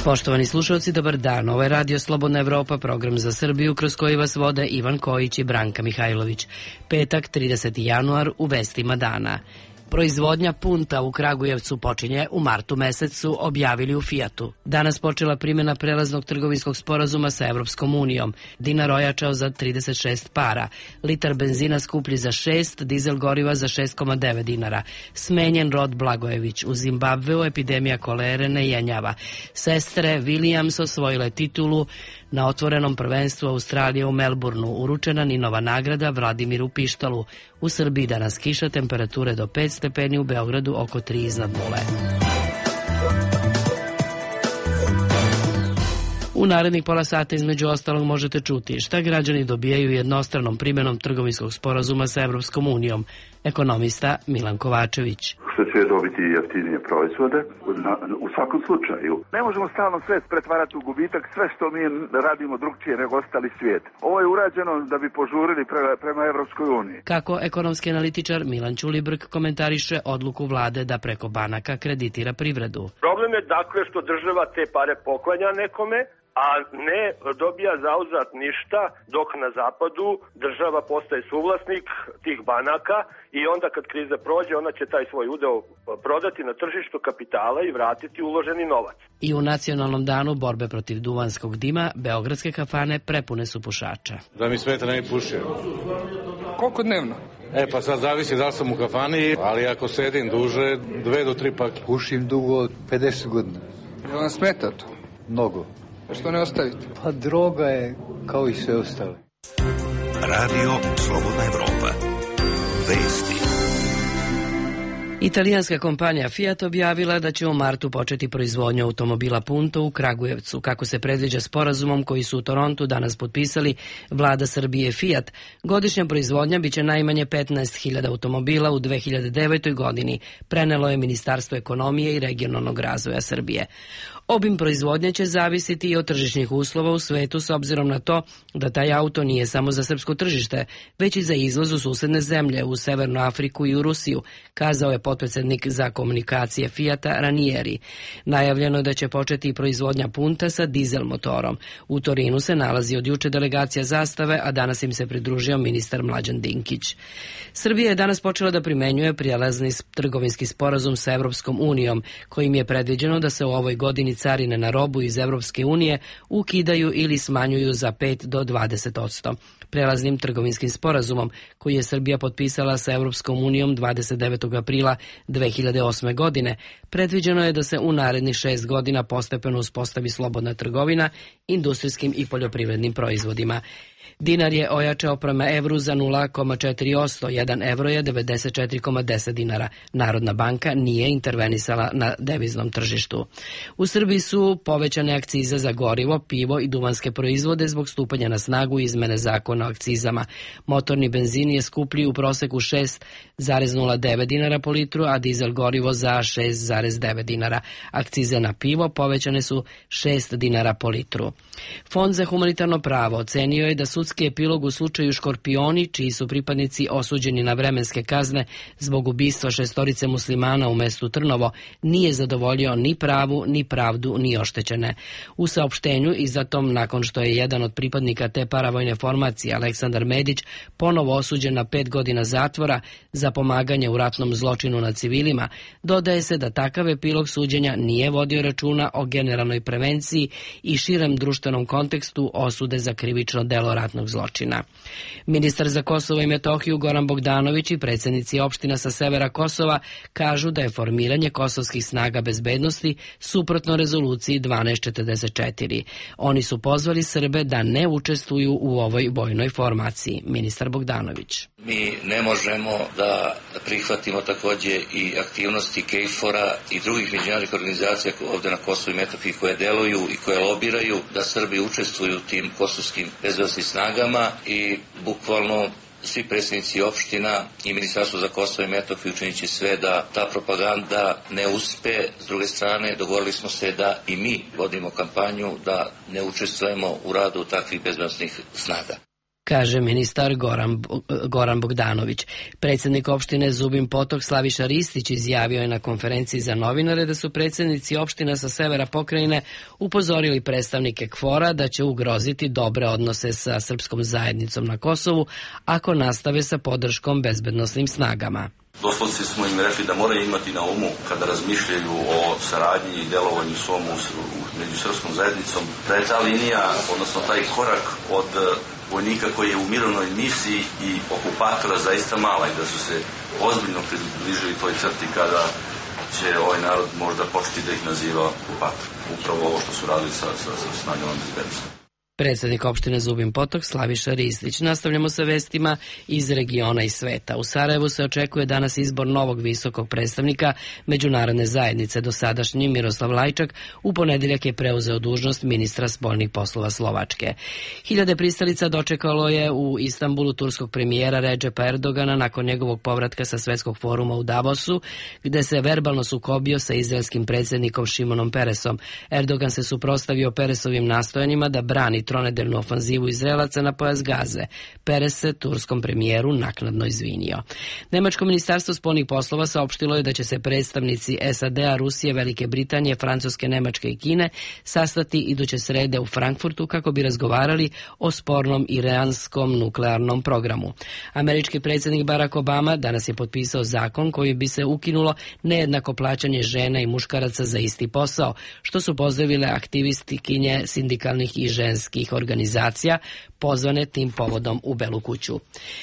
Poštovani slušalci, dobar dan. Ovo je Radio Slobodna Evropa, program za Srbiju kroz koji vas vode Ivan Kojić i Branka Mihajlović. Petak, 30. januar, u vestima dana. Proizvodnja punta u Kragujevcu počinje u martu mesecu, objavili u Fijatu. Danas počela primjena prelaznog trgovinskog sporazuma sa Evropskom unijom. Dinar ojačao za 36 para. Litar benzina skuplji za 6, dizel goriva za 6,9 dinara. Smenjen Rod Blagojević. U Zimbabveu epidemija kolere ne jenjava. Sestre Williams osvojile titulu na otvorenom prvenstvu Australije u Melbourneu. Uručena Ninova nagrada Vladimiru Pištalu. U Srbiji danas kiša, temperature do 5 stepeni, u Beogradu oko 3 iznad nule. U narednih pola sata između ostalog možete čuti šta građani dobijaju jednostranom primjenom trgovinskog sporazuma sa Evropskom unijom. Ekonomista Milan Kovačević. Što će dobiti jeftinije proizvode u svakom slučaju. Ne možemo stalno sve pretvarati u gubitak, sve što mi radimo drugčije nego ostali svijet. Ovo je urađeno da bi požurili prema Evropskoj uniji. Kako ekonomski analitičar Milan Ćulibrk komentariše odluku vlade da preko banaka kreditira privredu. Problem je dakle što država te pare poklanja nekome, a ne dobija zauzvrat ništa, dok na zapadu država postaje suvlasnik tih banaka i onda kad kriza prođe, ona će taj svoj udeo prodati na tržištu kapitala i vratiti uloženi novac. I u nacionalnom danu borbe protiv duvanskog dima, beogradske kafane prepune su pušača. Da mi sveta ne pušio. Koliko dnevno? Pa sad zavisi da li sam u kafani, ali ako sedim duže, 2 do 3 pake. Pušim dugo 50 godina. Je vam smeta to? Mnogo. Što ne ostavite? Pa droga je kao i sve ostale. Radio Slobodna Evropa. Vesti. Italijanska kompanija Fiat objavila da će u martu početi proizvodnju automobila Punto u Kragujevcu. Kako se predviđa sporazumom koji su u Torontu danas potpisali vlada Srbije i Fiat, godišnja proizvodnja biće najmanje 15.000 automobila u 2009. godini, prenelo je Ministarstvo ekonomije i regionalnog razvoja Srbije. Obim proizvodnje će zavisiti i od tržišnih uslova u svetu s obzirom na to da taj auto nije samo za srpsko tržište, već i za izvoz u susedne zemlje, u Severnu Afriku i u Rusiju, kazao je potpredsednik za komunikacije Fijata Ranieri. Najavljeno je da će početi i proizvodnja Punta sa dizel motorom. U Torinu se nalazi od juče delegacija Zastave, a danas im se pridružio ministar Mlađan Dinkić. Srbija je danas počela da primenjuje prijelazni trgovinski sporazum sa Evropskom unijom, kojim je predviđeno da se u ovoj godini carine na robu iz Evropske unije ukidaju ili smanjuju za 5 do 20%. Prelaznim trgovinskim sporazumom, koji je Srbija potpisala sa Evropskom unijom 29. aprila 2008. godine, predviđeno je da se u narednih 6 godina postepeno uspostavi slobodna trgovina industrijskim i poljoprivrednim proizvodima. Dinar je ojačao prema evru za 0,4%, 1 evro je 94,10 dinara. Narodna banka nije intervenisala na deviznom tržištu. U Srbiji su povećane akcize za gorivo, pivo i duvanske proizvode zbog stupanja na snagu izmene zakona o akcizama. Motorni benzin je skuplji u proseku 6,09 dinara po litru, a dizel gorivo za 6,9 dinara. Akcize na pivo povećane su 6 dinara po litru. Fond za humanitarno pravo ocenio je da sudski epilog u slučaju Škorpioni, čiji su pripadnici osuđeni na vremenske kazne zbog ubistva 6 muslimana u mestu Trnovo, nije zadovoljio ni pravu, ni pravdu, ni oštećene. U saopštenju izdatom nakon što je jedan od pripadnika te paravojne formacije, Aleksandar Medić, ponovo osuđen na 5 godina zatvora za pomaganje u ratnom zločinu nad civilima, dodaje se da takav epilog suđenja nije vodio računa o generalnoj prevenciji i širem društvenom kontekstu osude za krivično delo ratnog zločina. Ministar za Kosovo i Metohiju Goran Bogdanović i predsjednici opština sa severa Kosova kažu da je formiranje kosovskih snaga bezbednosti suprotno rezoluciji 1244. Oni su pozvali Srbe da ne učestvuju u ovoj vojnoj formaciji. Ministar Bogdanović. Mi ne možemo da prihvatimo također i aktivnosti KFOR-a i drugih međunarodnih organizacija ovdje na Kosovu i Metohiji koje deluju i koje lobiraju da Srbi učestvuju u tim kosovskim bezbednosnim snagama i bukvalno svi predsjednici opština i Ministarstvo za Kosovo i Metohiju učinit će sve da ta propaganda ne uspe. S druge strane, dogovorili smo se da i mi vodimo kampanju da ne učestvujemo u radu takvih bezbednosnih snaga. kaže ministar Goran Bogdanović. Predsjednik opštine Zubin Potok Slaviša Ristić izjavio je na konferenciji za novinare da su predsjednici opština sa severa pokrajine upozorili predstavnike KFOR-a da će ugroziti dobre odnose sa srpskom zajednicom na Kosovu ako nastave sa podrškom bezbednosnim snagama. Doslovci smo im rekli da moraju imati na umu kada razmišljaju o saradnji i delovanju svom među srpskom zajednicom, da je ta linija, odnosno taj korak od vojnika koji je u mirovnoj misiji i okupatora zaista mala i da su se ozbiljno približili toj crti kada će ovaj narod možda početi da ih naziva okupator. Upravo ovo što su radili sa snagama bezbednosti. Predsjednik opštine Zubin Potok Slaviša Ristić. Nastavljamo sa vestima iz regiona i sveta. U Sarajevu se očekuje danas izbor novog visokog predstavnika međunarodne zajednice. Dosadašnji Miroslav Lajčak u ponedeljak je preuzeo dužnost ministra spoljnih poslova Slovačke. Hiljade pristalica dočekalo je u Istanbulu turskog premijera Redžepa Erdogana nakon njegovog povratka sa svetskog foruma u Davosu, gde se verbalno sukobio sa izraelskim predsjednikom Šimonom Peresom. Erdogan se suprotstavio Peresovim nastojanjima da brani tronedeljnu ofanzivu Izraelaca na pojas Gaze. Peres se turskom premijeru naknadno izvinio. Nemačko ministarstvo spoljnih poslova saopštilo je da će se predstavnici SAD-a, Rusije, Velike Britanije, Francuske, Nemačke i Kine sastati iduće srede u Frankfurtu kako bi razgovarali o spornom iranskom nuklearnom programu. Američki predsjednik Barack Obama danas je potpisao zakon koji bi se ukinulo nejednako plaćanje žena i muškaraca za isti posao, što su pozdravile aktivistkinje sindikalnih i ženskih organizacija pozvane tim povodom u Belu kuću.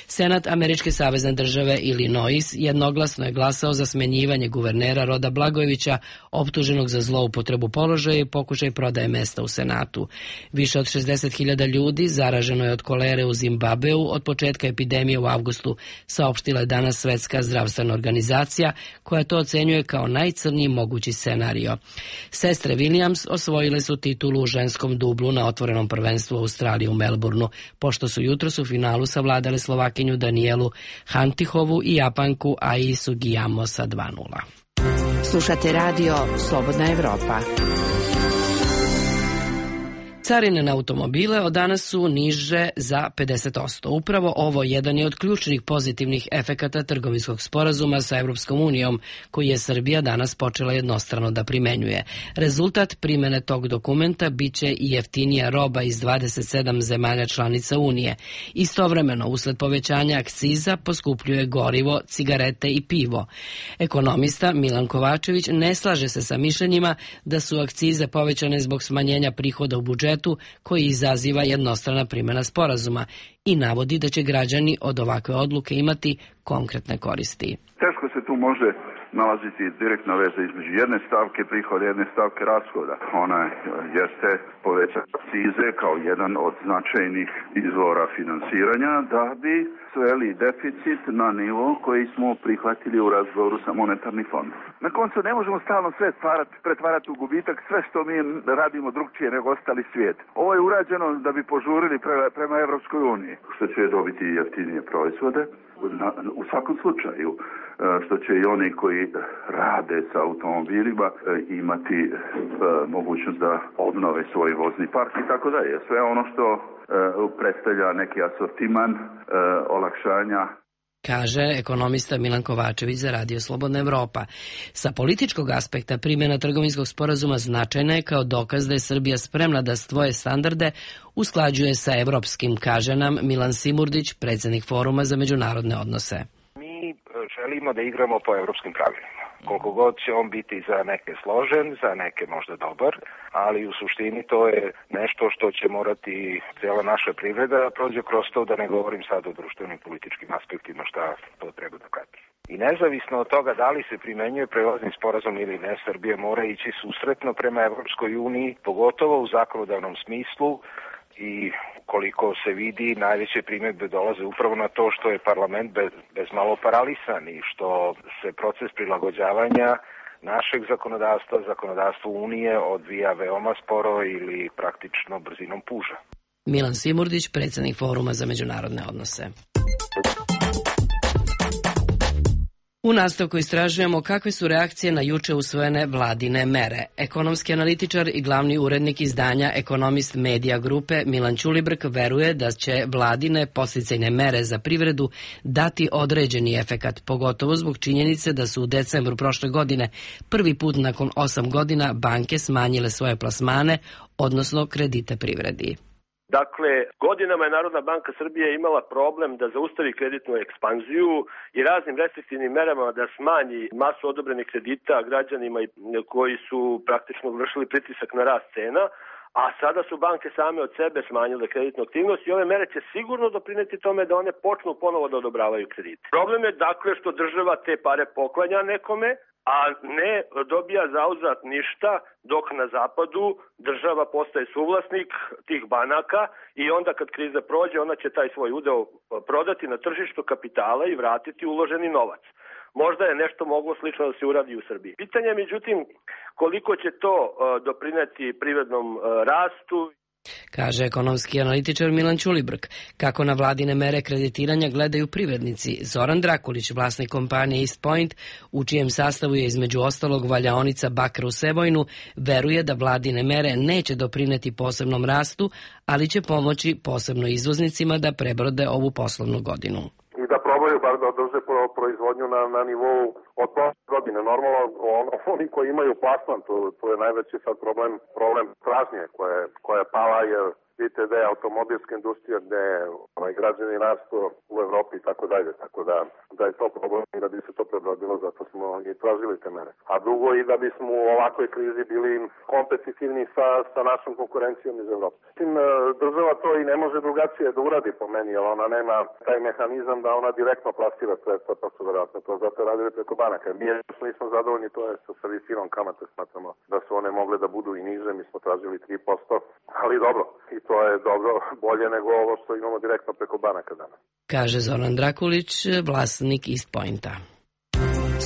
Senat Američke savezne države Illinois jednoglasno je glasao za smenjivanje guvernera Roda Blagojevića, optuženog za zloupotrebu položaja i pokušaj prodaje mesta u Senatu. Više od 60.000 ljudi zaraženo je od kolere u Zimbabveu od početka epidemije u avgustu, saopštila je danas Svetska zdravstvena organizacija, koja to ocenjuje kao najcrniji mogući scenario. Sestre Williams osvojile su titulu u ženskom dublu na otvorenom prvenstvu u Australiji u Melbourneu, pošto su jutros u finalu savladale Slovakinju Danielu Hantihovu i Japanku Ai Sugiyamo sa 2:0. Slušate radio Slobodna Evropa. Carine na automobile od danas su niže za 50%. Upravo ovo jedan je od ključnih pozitivnih efekata trgovinskog sporazuma sa Evropskom unijom, koji je Srbija danas počela jednostrano da primenjuje. Rezultat primene tog dokumenta biće i jeftinija roba iz 27 zemalja članica Unije. Istovremeno, usled povećanja akciza, poskupljuje gorivo, cigarete i pivo. Ekonomista Milan Kovačević ne slaže se sa mišljenjima da su akcize povećane zbog smanjenja prihoda u budžetu koji izaziva jednostrana primjena sporazuma i navodi da će građani od ovakve odluke imati konkretne koristi. Teško se tu može nalaziti direktna veza između jedne stavke prihoda i jedne stavke rashoda. Ona jeste povećati akcize kao jedan od značajnih izvora finansiranja da bi sveli deficit na nivo koji smo prihvatili u razgovoru sa monetarnim fondom. Na koncu ne možemo stalno sve pretvarati u gubitak, sve što mi radimo drugčije nego ostali svijet. Ovo je urađeno da bi požurili prema Evropskoj uniji, što će dobiti jeftinije proizvode. U svakom slučaju, što će i oni koji rade sa automobilima imati mogućnost da obnove svoj vozni park i tako dalje. Sve ono što predstavlja neki asortiman olakšanja, kaže ekonomista Milan Kovačević za Radio Slobodna Evropa. Sa političkog aspekta primjena trgovinskog sporazuma značajna je kao dokaz da je Srbija spremna da svoje standarde usklađuje sa evropskim, kaže nam Milan Simurdić, predsjednik Foruma za međunarodne odnose. Mi želimo da igramo po evropskim pravilima. Koliko god će on biti za neke složen, za neke možda dobar, ali u suštini to je nešto što će morati cijela naša privreda da prođe kroz to, da ne govorim sad o društvenim političkim aspektima šta to treba da prati. I nezavisno od toga da li se primenjuje prelazni sporazum ili ne, Srbija mora ići susretno prema Evropskoj uniji, pogotovo u zakonodavnom smislu, i koliko se vidi, najveće primjedbe dolaze upravo na to što je parlament bezmalo paralisan i što se proces prilagođavanja našeg zakonodavstvu Unije odvija veoma sporo ili praktično brzinom puža. Milan Simurdić, predsjednik Foruma za međunarodne odnose. U nastavku istražujemo kakve su reakcije na juče usvojene vladine mere. Ekonomski analitičar i glavni urednik izdanja Ekonomist Medija grupe Milan Ćulibrk veruje da će vladine podsticajne mere za privredu dati određeni efekat, pogotovo zbog činjenice da su u decembru prošle godine prvi put nakon 8 godina banke smanjile svoje plasmane, odnosno kredite privredi. Dakle, godinama je Narodna banka Srbije imala problem da zaustavi kreditnu ekspanziju i raznim restriktivnim merama da smanji masu odobrenih kredita građanima koji su praktično vršili pritisak na rast cena, a sada su banke same od sebe smanjile kreditnu aktivnost i ove mere će sigurno doprineti tome da one počnu ponovo da odobravaju kredite. Problem je dakle što država te pare poklanja nekome, a ne dobija zauzvrat ništa, dok na zapadu država postaje suvlasnik tih banaka i onda kad kriza prođe, ona će taj svoj udeo prodati na tržištu kapitala i vratiti uloženi novac. Možda je nešto moglo slično da se uradi u Srbiji. Pitanje je međutim koliko će to doprineti privrednom rastu. Kaže ekonomski analitičar Milan Ćulibrk. Kako na vladine mere kreditiranja gledaju privrednici, Zoran Drakulić, vlasnik kompanije East Point, u čijem sastavu je između ostalog valjaonica bakra u Sevojnu, veruje da vladine mere neće doprineti posebnom rastu, ali će pomoći posebno izvoznicima da prebrode ovu poslovnu godinu. I da probaju bar da održe proizvodnju na nivou od prošle godine. Normalno, oni koji imaju plasman, to je najveći sad problem tražnje koja je pala, jer vidite da je automobilska industrija, gde je građani rastu u Evropi i tako dalje, tako da je to problem i da bi se to prebrodilo, zato smo i tražili te mere. A drugo i da bismo u ovakvoj krizi bili kompetitivni sa našom konkurencijom iz Evrope. Država to i ne može drugačije da uradi po meni, jer ona nema taj mehanizam da ona direktno plasira sredstva, pa su verovatno to zato radili preko banaka. Mi nismo zadovoljni, to je sa visinom kamate, smatramo da su one mogle da budu i niže, mi smo tražili 3%, ali dobro, i to je dobro, bolje nego ovo što imamo direktno preko banaka danas. Kaže Zoran Drakulić, vlasnik East Pointa.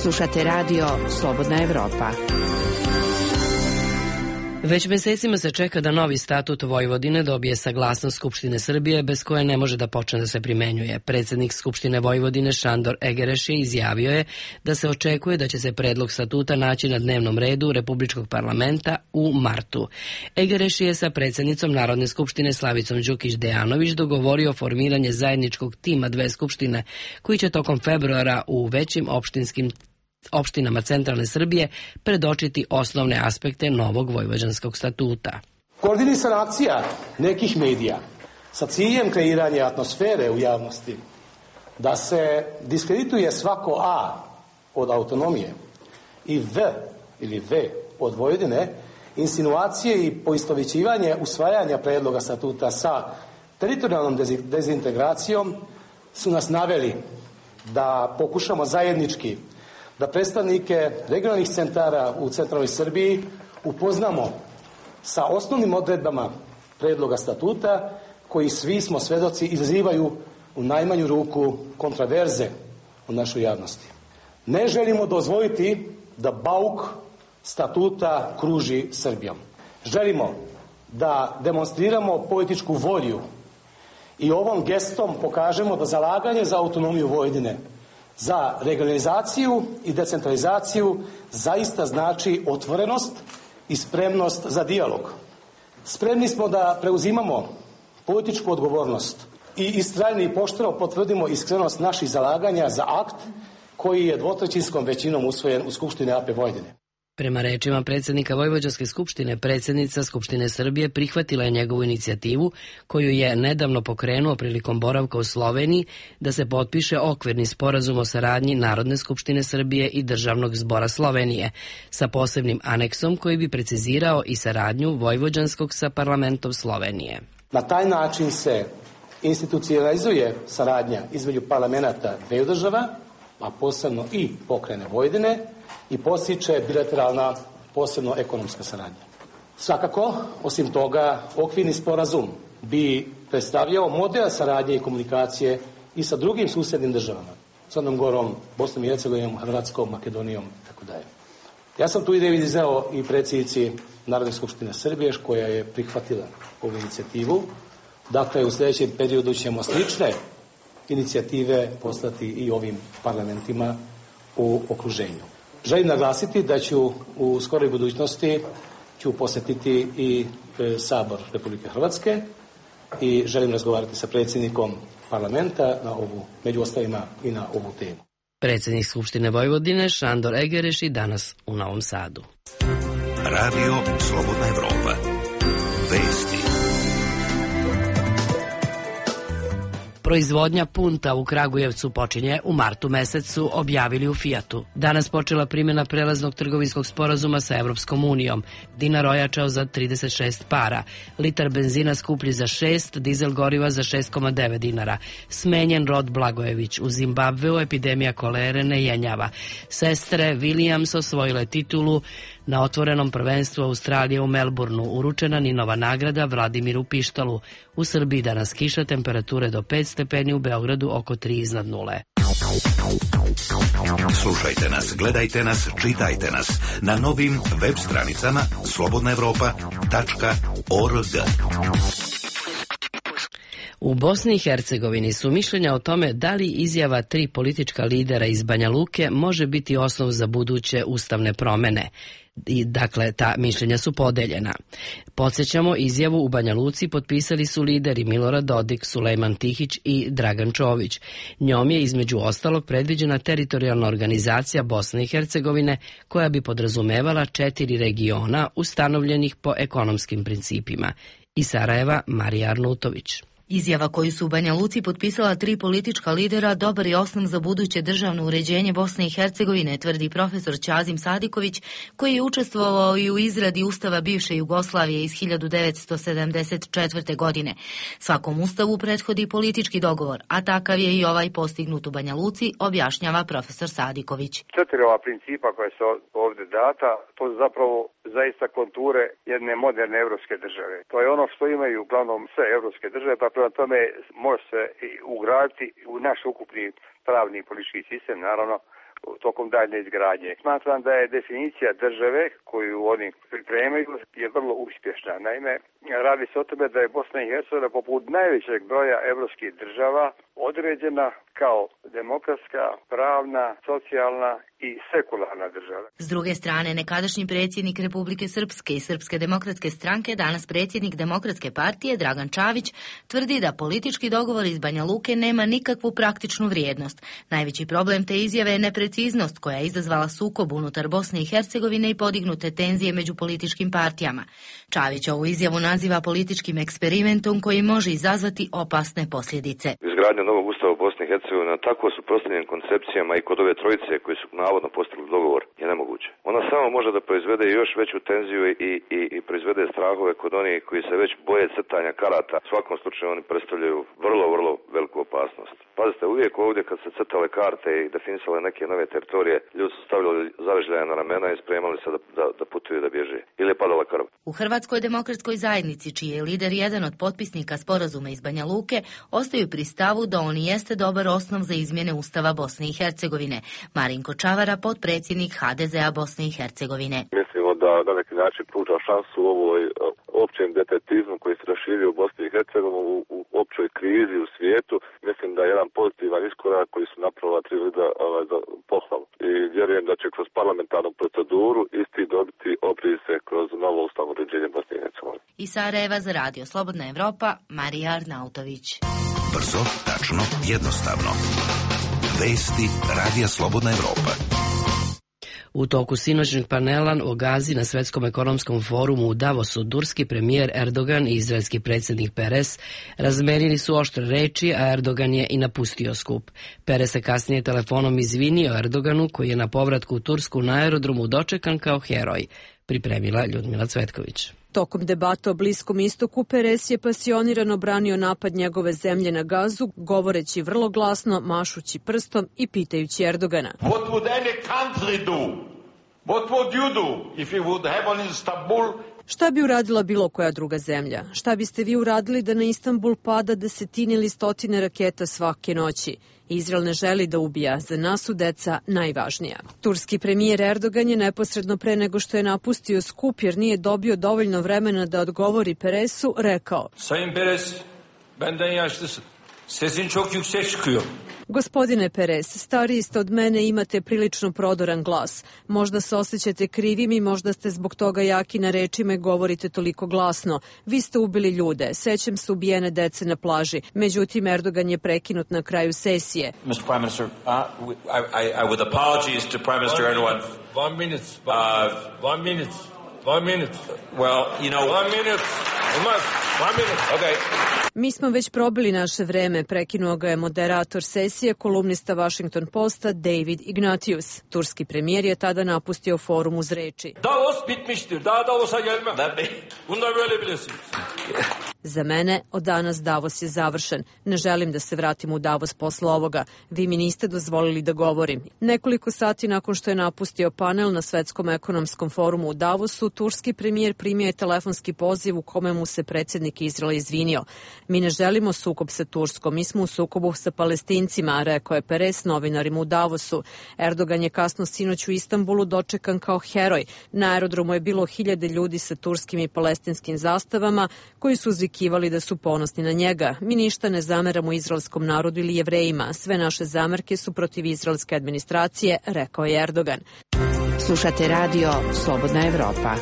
Slušate radio Slobodna Evropa. Već mesecima se čeka da novi statut Vojvodine dobije saglasnost Skupštine Srbije, bez koje ne može da počne da se primenjuje. Predsednik Skupštine Vojvodine Šandor Egereš izjavio je da se očekuje da će se predlog statuta naći na dnevnom redu Republičkog parlamenta u martu. Egereš je sa predsednicom Narodne skupštine Slavicom Đukić Dejanović dogovorio formiranje zajedničkog tima dve skupštine, koji će tokom februara u većim opštinama centralne Srbije predočiti osnovne aspekte novog vojvođanskog statuta. Koordinisana akcija nekih medija sa ciljem kreiranja atmosfere u javnosti da se diskredituje svako A od autonomije i V ili V od Vojvodine, insinuacije i poistovećivanje usvajanja predloga statuta sa teritorijalnom dezintegracijom su nas naveli da pokušamo zajednički da predstavnike regionalnih centara u centralnoj Srbiji upoznamo sa osnovnim odredbama predloga statuta, koji svi smo svedoci izazivaju u najmanju ruku kontraverze u našoj javnosti. Ne želimo dozvoliti da bauk statuta kruži Srbijom. Želimo da demonstriramo političku volju i ovom gestom pokažemo da zalaganje za autonomiju Vojvodine, za regionalizaciju i decentralizaciju zaista znači otvorenost i spremnost za dijalog. Spremni smo da preuzimamo političku odgovornost i istrajno i pošteno potvrdimo iskrenost naših zalaganja za akt koji je dvotrećinskom većinom usvojen u Skupštini AP Vojvodine. Prema rečima predsjednika Vojvođanske skupštine, predsjednica Skupštine Srbije prihvatila je njegovu inicijativu, koju je nedavno pokrenuo prilikom boravka u Sloveniji, da se potpiše okvirni sporazum o saradnji Narodne skupštine Srbije i Državnog zbora Slovenije, sa posebnim aneksom koji bi precizirao i saradnju Vojvođanskog sa parlamentom Slovenije. Na taj način se institucionalizuje saradnja između parlamenta dveju država, a posebno i pokrajine Vojvodine, i postiče bilateralna, posebno ekonomska saradnja. Svakako, osim toga, okvirni sporazum bi predstavljao model saradnje i komunikacije i sa drugim susjednim državama, Crnom Gorom, Bosnom i Hercegovinom, Hrvatskom, Makedonijom itd. Ja sam tu ideju izneo i predsjednici Narodne skupštine Srbije, koja je prihvatila ovu inicijativu. Dakle, u sljedećem periodu ćemo slične inicijative poslati i ovim parlamentima u okruženju. Želim naglasiti da ću u skoroj budućnosti posjetiti i Sabor Republike Hrvatske i želim razgovarati sa predsjednikom parlamenta među ostalima i na ovu temu. Predsjednik Skupštine Vojvodine Šandor Egereši danas u Novom Sadu. Radio Slobodna Evropa. Vesti. Proizvodnja punta u Kragujevcu počinje u martu mesecu, objavili u Fijatu. Danas počela primjena prelaznog trgovinskog sporazuma sa Evropskom unijom. Dinar ojačao za 36 para, litar benzina skuplji za 6, dizel goriva za 6,9 dinara. Smenjen Rod Blagojević. U Zimbabveu epidemija kolere ne jenjava. Sestre Williams osvojile titulu na otvorenom prvenstvu Australije u Melbourneu. Uručena Ninova nagrada Vladimiru Pištalu. U Srbiji danas kiša, temperature do 5 stepeni, u Beogradu oko 3 iznad nule. Slušajte nas, gledajte nas, čitajte nas na novim web stranicama slobodnaevropa.org. U Bosni i Hercegovini su mišljenja o tome da li izjava 3 politička lidera iz Banja Luke može biti osnov za buduće ustavne promene. Dakle, ta mišljenja su podeljena. Podsjećamo, izjavu u Banja Luci potpisali su lideri Milorad Dodik, Sulejman Tihić i Dragan Čović. Njom je između ostalog predviđena teritorijalna organizacija Bosne i Hercegovine koja bi podrazumevala 4 regiona ustanovljenih po ekonomskim principima. Iz Sarajeva, Marija Arnutović. Izjava koju su u Banja Luci potpisala 3 politička lidera dobar je osnov za buduće državno uređenje Bosne i Hercegovine, tvrdi profesor Ćazim Sadiković, koji je učestvovao i u izradi Ustava bivše Jugoslavije iz 1974. godine. Svakom ustavu prethodi politički dogovor, a takav je i ovaj postignut u Banja Luci, objašnjava profesor Sadiković. 4 ova principa koja su ovdje data, to su zapravo zaista konture jedne moderne evropske države. To je ono što imaju uglavnom sve evropske države, pa prema tome može se ugraditi u naš ukupni pravni i politički sistem, naravno, tokom daljne izgradnje. Smatram da je definicija države koju oni pripremaju je vrlo uspješna. Naime, radi se o tome da je Bosna i Hercegovina poput najvećeg broja evropskih država određena kao demokratska, pravna, socijalna i sekularna država. S druge strane, nekadašnji predsjednik Republike Srpske i Srpske demokratske stranke, danas predsjednik Demokratske partije Dragan Čavić, tvrdi da politički dogovor iz Banja Luke nema nikakvu praktičnu vrijednost. Najveći problem te izjave je nepreciznost koja je izazvala sukob unutar Bosne i Hercegovine i podignute tenzije među političkim partijama. Čavić ovu izjavu naziva političkim eksperimentom koji može izazvati opasne posljedice. Izgradnja novog ustava u Bosni i Hercegovini tako suprotstavljenim koncepcijama i kod ove trojice koji su navodno postigli dogovor je nemoguće. Ona samo može da proizvede još veću tenziju i proizvede strahove kod onih koji se već boje crtanja karata. U svakom slučaju oni predstavljaju vrlo, vrlo veliku opasnost. Pazite, uvijek ovdje kad se crtale karte i definisale neke nove teritorije, ljudi su stavljali zavežljaje na ramena i spremali se da putuju da bježe. Ili je padala krv. U Hrvatskoj demokratskoj zajednici, čiji je lider jedan od potpisnika sporazuma iz Banja Luke, ostaju pri stavu da on jeste dobar osnov za izmjene Ustava Bosne i Hercegovine. Marinko Čavara, potpredsjednik HDZ-a Bosne i Hercegovine. Mislimo da na neki način pruža šansu ovoj općem defetizmu koji se raširio u Bosni i Hercegovini u općoj krizi u svijetu. Mislim da je jedan pozitivan iskorak koji su napravila 3 lidera za pohvalu. I vjerujem da će kroz parlamentarnu proceduru isti dobiti oprise kroz novo ustavno uređenje Bosne i Hercegovine. Iz Sarajeva za Radio Slobodna Evropa, Marija Arnautović. Brzo, tačno, jednostavno. Vesti Radija Slobodna Evropa. U toku sinoćnog panela o Gazi na Svetskom ekonomskom forumu u Davosu, turski premijer Erdogan i izraelski predsjednik Peres razmenili su oštre reči, a Erdogan je i napustio skup. Peres se kasnije telefonom izvinio Erdoganu, koji je na povratku u Tursku na aerodromu dočekan kao heroj, pripremila Ljudmila Cvetković. Tokom debata o Bliskom istoku, Peres je pasionirano branio napad njegove zemlje na Gazu, govoreći vrlo glasno, mašući prstom i pitajući Erdogana. What would any country do? What would you do if you would have on Istanbul? Šta bi uradila bilo koja druga zemlja? Šta biste vi uradili da na Istanbul pada desetine ili stotine raketa svake noći? Izrael ne želi da ubija, za nas su deca najvažnija. Turski premijer Erdogan je neposredno pre nego što je napustio skup jer nije dobio dovoljno vremena da odgovori Peresu, rekao: Sayın Peres, benden yaşlısın. Sesin çok yüksek çıkıyor. Gospodine Perez, stariji ste od mene i imate prilično prodoran glas. Možda se osjećate krivim i možda ste zbog toga jaki na rečima i govorite toliko glasno. Vi ste ubili ljude, sećam se ubijene dece na plaži. Međutim, Erdogan je prekinut na kraju sesije. Mr. Prime Minister, I would apologize to Prime Minister Erdogan. 1 minute. 1 minute. 1 minute. Well, you know... 1 minute. 1 minute. Okay. Mi smo već probili naše vreme, prekinuo ga je moderator sesije, kolumnista Washington Posta David Ignatius. Turski premijer je tada napustio forum uz reči. Davos bitmiştir. Daha Davos'a gelmem. Bunu da böyle bilirsiniz. Za mene od danas Davos je završen. Ne želim da se vratim u Davos posle ovoga. Vi mi niste dozvolili da govorim. Nekoliko sati nakon što je napustio panel na Svetskom ekonomskom forumu u Davosu, turski premijer primio je telefonski poziv u kome mu se predsjednik Izraela izvinio. Mi ne želimo sukob sa Turskom, mi smo u sukobu sa Palestincima, rekao je Perez novinarima u Davosu. Erdogan je kasno sinoć u Istanbulu dočekan kao heroj. Na aerodromu je bilo 1000 ljudi sa turskim i palestinskim zastavama koji su uzvikivali da su ponosni na njega. Mi ništa ne zameramo izraelskom narodu ili Jevrejima. Sve naše zamerke su protiv izraelske administracije, rekao je Erdogan. Slušate radio Slobodna Evropa.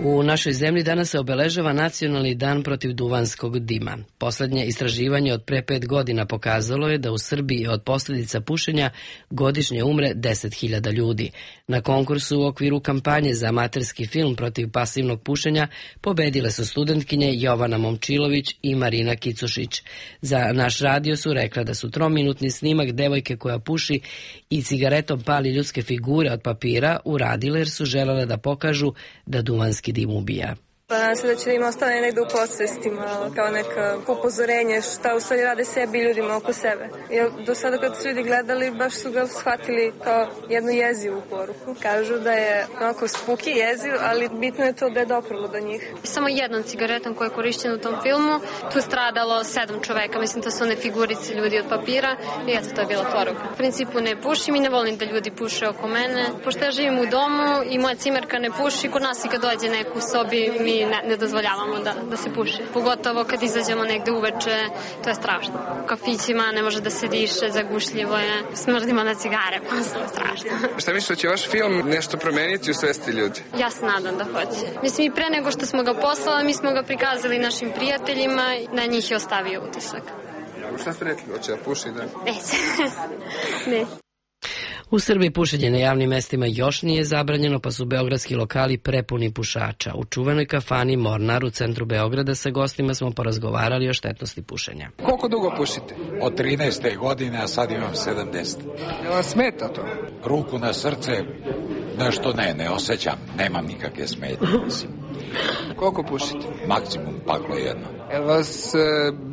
U našoj zemlji danas se obeležava Nacionalni dan protiv duvanskog dima. Poslednje istraživanje od pre 5 godina pokazalo je da u Srbiji od posljedica pušenja godišnje umre 10.000 ljudi. Na konkursu u okviru kampanje za amaterski film protiv pasivnog pušenja pobedile su studentkinje Jovana Momčilović i Marina Kicušić. Za naš radio su rekla da su 3-minutni snimak devojke koja puši i cigaretom pali ljudske figure od papira uradile jer su želele da pokažu da duvanski dim ubija. Pa nadam se da će da im ostane negde u podsvestima kao neka upozorenje šta u stvari rade sebi i ljudima oko sebe. Jer do sada kad su ljudi gledali baš su ga shvatili kao jednu jezivu poruku. Kažu da je onako spuki jeziv, ali bitno je to da je doprlo do njih. Samo jednom cigaretom koja je korišćena u tom filmu, tu je stradalo 7 čoveka, mislim to su one figurice ljudi od papira i eto to je bila poruka. U principu ne pušim i ne volim da ljudi puše oko mene. Pošto ja živim u domu i moja cimerka ne puši, kod nas i kad dođe neko u sobi mi ne dozvoljavamo da se puši. Pogotovo kad izađemo negde uveče, to je strašno. U kafićima ne može da se diše, zagušljivo je, smrdimo na cigare, posle strašno. Šta misliš da će vaš film nešto promeniti u svesti ljudi? Ja se nadam da hoće. Mislim i pre nego što smo ga poslali, mi smo ga prikazali našim prijateljima, na njih je ostavio utisak. Šta ste rekli, hoće da puši, da? Neće. Ne. U Srbiji pušenje na javnim mestima još nije zabranjeno, pa su beogradski lokali prepuni pušača. U čuvenoj kafani Mornar u centru Beograda sa gostima smo porazgovarali o štetnosti pušenja. Koliko dugo pušite? Od 13. godine, a sad imam 70. Jel vam smeta to? Ruku na srce, nešto ne osjećam, nemam nikakve smetnje, mislim. Koliko pušite? Maksimum paklo jedno. Jel vas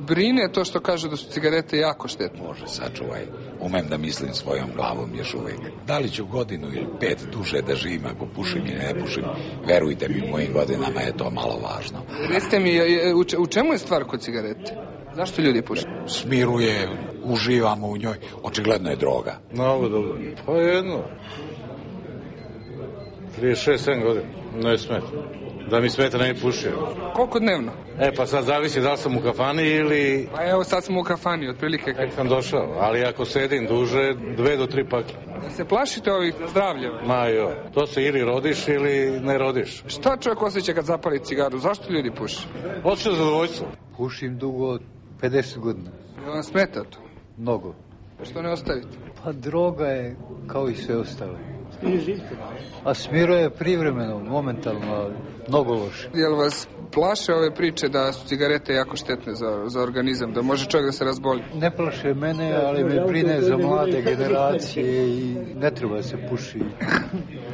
brine to što kažu da su cigarete jako štetne? Bože, sačuvaj. Umem da mislim svojom glavom još uvijek. Da li ću godinu ili 5 duže da živim ako pušim ili ne pušim, verujte mi, u mojim godinama je to malo važno. Recite mi, u čemu je stvar kod cigarete? Zašto ljudi puše? Smiruje, uživamo u njoj, očigledno je droga. Mnogo dobro. Pa jedno. 36-7 godina, ne smeta. Da mi smeta ne pušio. Koliko dnevno? Pa sad zavisi da li sam u kafani ili... Pa evo sad sam u kafani, otprilike. Tek sam došao, ali ako sedim duže, 2 do 3 paklje. Se plašite ovih zdravlja? Ma jo, to se ili rodiš ili ne rodiš. Šta čovjek osjeća kad zapali cigaru? Zašto ljudi puše? Osjeća zadovoljstvo. Pušim dugo od 50 godina. Jel vam smeta to? Mnogo. Što ne ostavite? Pa droga je kao i sve ostale. A smiruje privremeno, momentalno, mnogo loše. Jel vas plaše ove priče da su cigarete jako štetne za organizam, da može čovjek da se razboli? Ne plaše mene, ali me brine za mlade generacije i ne treba se puši.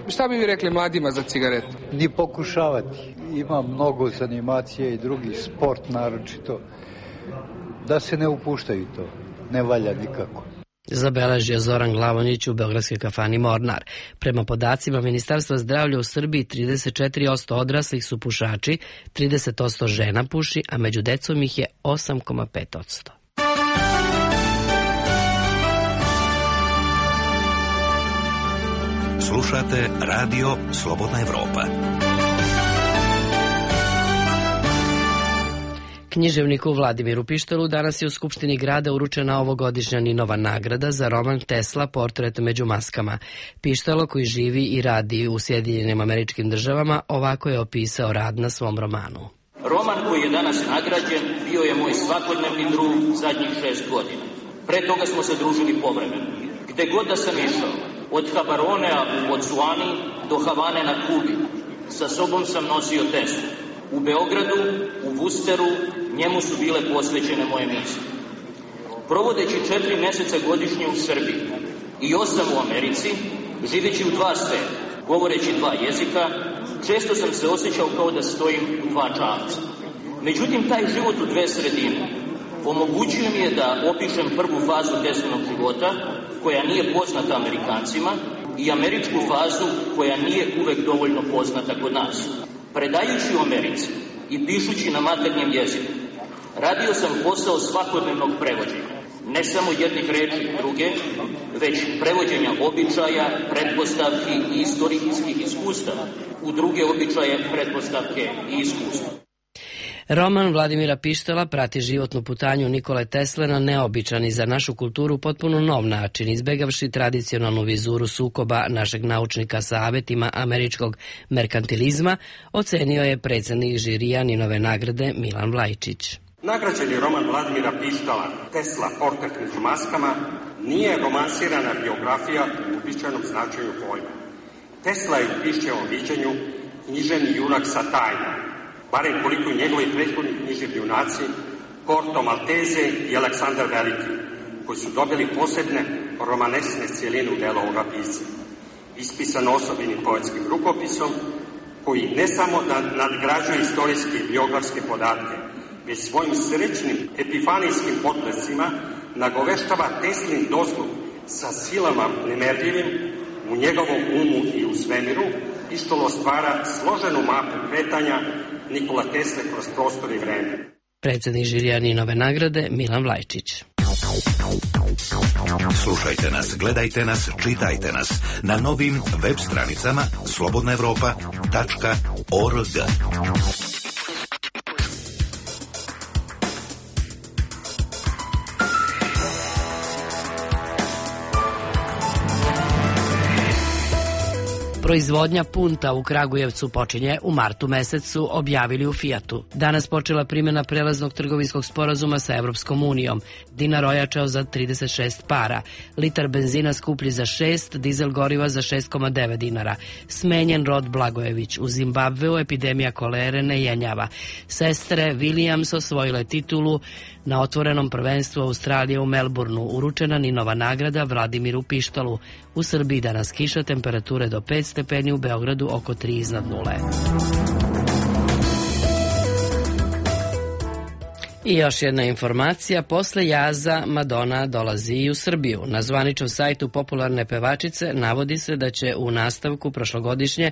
Šta bi vi rekli mladima za cigarete? Ni pokušavati. Ima mnogo zanimacije i drugi sport naročito. Da se ne upuštaju to. Ne valja nikako. Zabeležio Zoran Glavonić u beogradskoj kafani Mornar. Prema podacima Ministarstva zdravlja u Srbiji 34% odraslih su pušači, 30% žena puši, a među decom ih je 8,5%. Slušate radio Slobodna Evropa. Književniku Vladimiru Pištolu danas je u Skupštini grada uručena ovogodišnja Ninova nagrada za roman Tesla, portret među maskama. Pištalo, koji živi i radi u Sjedinjenim Američkim Državama, ovako je opisao rad na svom romanu. Roman koji je danas nagrađen bio je moj svakodnevni drug zadnjih 6 godina. Pre toga smo se družili povremeno. Gde god da sam išao, od Habaronea u Botswani do Havane na Kubi, sa sobom sam nosio Teslu. U Beogradu, u Vusteru, njemu su bile posvećene moje misli. Provodeći 4 meseca godišnje u Srbiji i 8 u Americi, živeći u 2 sveta, govoreći 2 jezika, često sam se osjećao kao da stojim u 2 čamca. Međutim, taj život u 2 sredine omogućio mi je da opišem prvu fazu Teslinog života, koja nije poznata Amerikancima, i američku fazu koja nije uvek dovoljno poznata kod nas. Predajući u Americi i pišući na maternjem jeziku, radio sam posao svakodnevnog prevođenja, ne samo jednih reči druge, već prevođenja običaja, pretpostavki i istorijskih iskustava u druge običaje, pretpostavke i iskustva. Roman Vladimira Pištola prati životnu putanju Nikole Tesle na neobičan i za našu kulturu potpuno nov način, izbegavši tradicionalnu vizuru sukoba našeg naučnika sa avetima američkog merkantilizma, ocenio je predsednik žirija Ninove nagrade Milan Vlajčić. Nagrađeni roman Vladimira Pištola Tesla, portret među maskama nije romansirana biografija u uobičajenom značenju pojma. Tesla je u Pišćevom viđenju književni junak sa tajnom, barem koliko i njegovi prethodni književni junaci Corto Maltese i Aleksandar Veliki, koji su dobili posebne romanesne cijeline u delu ovoga pisca. Ispisan osobenim poetskim rukopisom, koji ne samo da nadgrađuje istorijske i biografske podatke, već svojim srećnim epifanijskim potrescima nagoveštava Teslin dostup sa silama nemerljivim u njegovom umu i u svemiru, i što stvara složenu mapu kretanja Nikola Tesle kroz prostor i vreme. Predsednik žirija Ninove nagrade Milan Vlajčić. Slušajte nas, gledajte nas, čitajte nas na novim web stranicama slobodnaevropa.org. Proizvodnja punta u Kragujevcu počinje u martu mesecu, objavili u Fijatu. Danas počela primjena prelaznog trgovinskog sporazuma sa Evropskom unijom. Dinar ojačao za 36 para. Litar benzina skuplji za 6, dizel goriva za 6,9 dinara. Smenjen Rod Blagojević. U Zimbabveu epidemija kolere ne jenjava. Sestre Williams osvojile titulu na otvorenom prvenstvu Australije u Melbourneu. Uručena Ninova nagrada Vladimiru Pištolu. U Srbiji danas kiša, temperature do 5 stepeni, u Beogradu oko 3 iznad nule. I još jedna informacija, posle jaza Madonna dolazi i u Srbiju. Na zvaničnom sajtu popularne pevačice navodi se da će u nastavku prošlogodišnje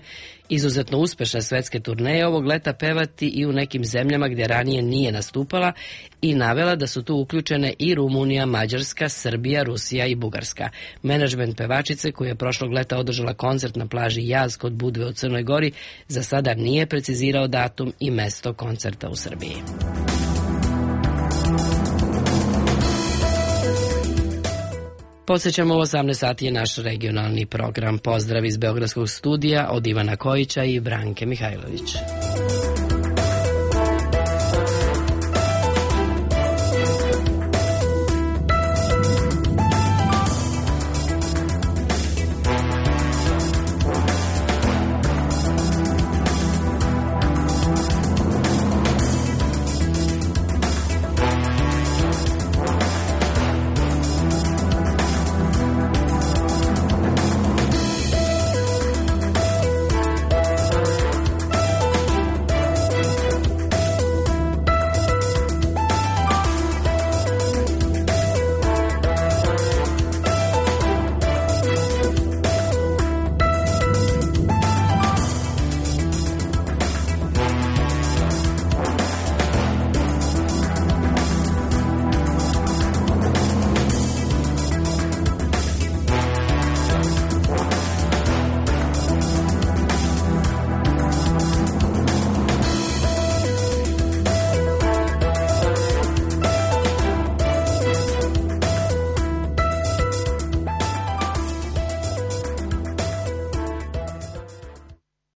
izuzetno uspešne svetske turneje ovog leta pevati i u nekim zemljama gdje ranije nije nastupala i navela da su tu uključene i Rumunija, Mađarska, Srbija, Rusija i Bugarska. Menadžment pevačice, koji je prošlog leta održala koncert na plaži Jaz kod Budve u Crnoj Gori, za sada nije precizirao datum i mesto koncerta u Srbiji. Podsećamo, u 18 sati je naš regionalni program. Pozdrav iz Beogradskog studija od Ivana Kojića i Branke Mihajlović.